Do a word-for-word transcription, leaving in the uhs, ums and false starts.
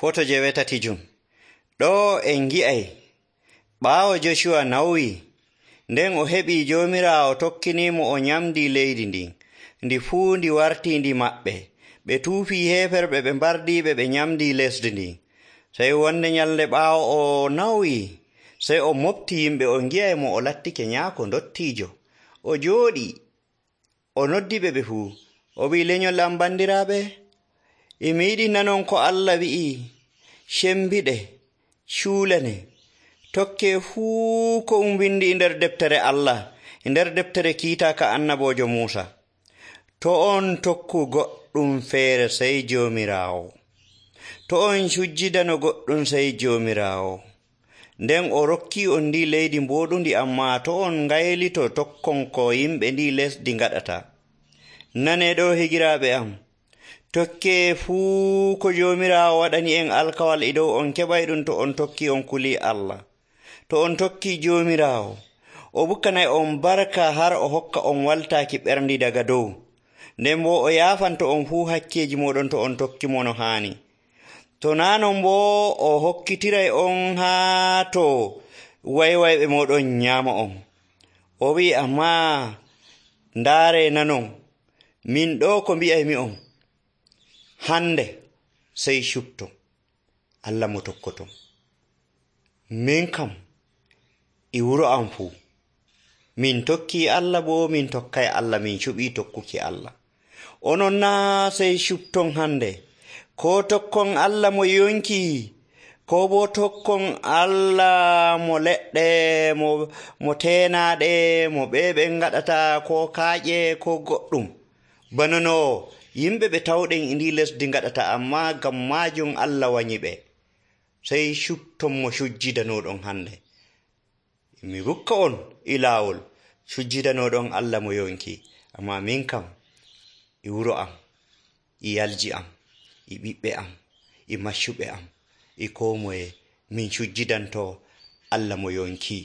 Foto jewetatijum. Ɗo en ngi'ay ɓaawo Joshuwa nawyi, nden o heɓii Joomiraawo tokkiniimo o nyamdii leydi ndin, ndi fuu ndi wartii ndi maɓɓe. Ɓe tuufii heeferɓe ɓe mbardiiɓe ɓe nyamdii lesdi ndin. Sey wonde nyalnde ɓaawo o nawyi, sey o mofti yimɓe o ngi'ay mo o lattike nyaako ndottiijo. O jooɗii, o noddiɓe ɓe fuu. O wi'i, lenyol am bandiraaɓe, e mi yiɗi nanon ko Allah wi'i, cembiɗe, cuulane, tokkee fuu ko um windi e nder deftere Allah, e nder deftere kiitaaka annaboojo Muusa. To on tokku goɗɗum feere sey Joomiraawo. To on cujjidano goɗɗum sey Joomiraawo. Nden o rokkii on ndi leydi mbooɗundi, ammaa to on ngaylito tokkon ko yimɓe ndi lesdi ngaɗata. Nanee ɗo higiraaɓe am, tokkee fuu ko Joomiraawo waɗani en alkawal e dow on keɓay ɗum to on tokkii on kulii Allah. To on tokkii Joomiraawo, o bukkanay on barka har o hokka on waltaaki ɓerndi daga dow. Nden boo o yaafanto on fuu hakkeeji mooɗon to on tokki mo no haani. To naa non boo o hokkitiray on haa to waywayɓe mooɗon nyaama on. O wi'i, ammaa ndaaree nanon, min ɗo ko mbi'aymi on, hande sey cupto Allah mo tokkoton. Min kam e wuro am fuu min tokkii Allah, boo min tokkay Allah, min cuɓii tokkuki Allah. Onon naa sey cupton hande, ko tokkon Allah mo yonki, ko boo tokkon Allah mo leɗɗe, mo, mo teenaaɗe, mo ɓeeɓe ngaɗata, ko kaaƴe, ko goɗɗum. Bana no yimɓe ɓe tawɗen e ndi lesdi ngaɗata, ammaa ngam maajum Allah wanyi ɓe. Sey cupton mo cujjidanoɗon hande. Mi hokka on e laawol cujjidanoɗon Allah mo yonki, ammaa min kam e wuro am, e yalji am, e ɓiɓɓe am, e maccuɓe am, e koo moye min cujjidanto Allah mo yonki.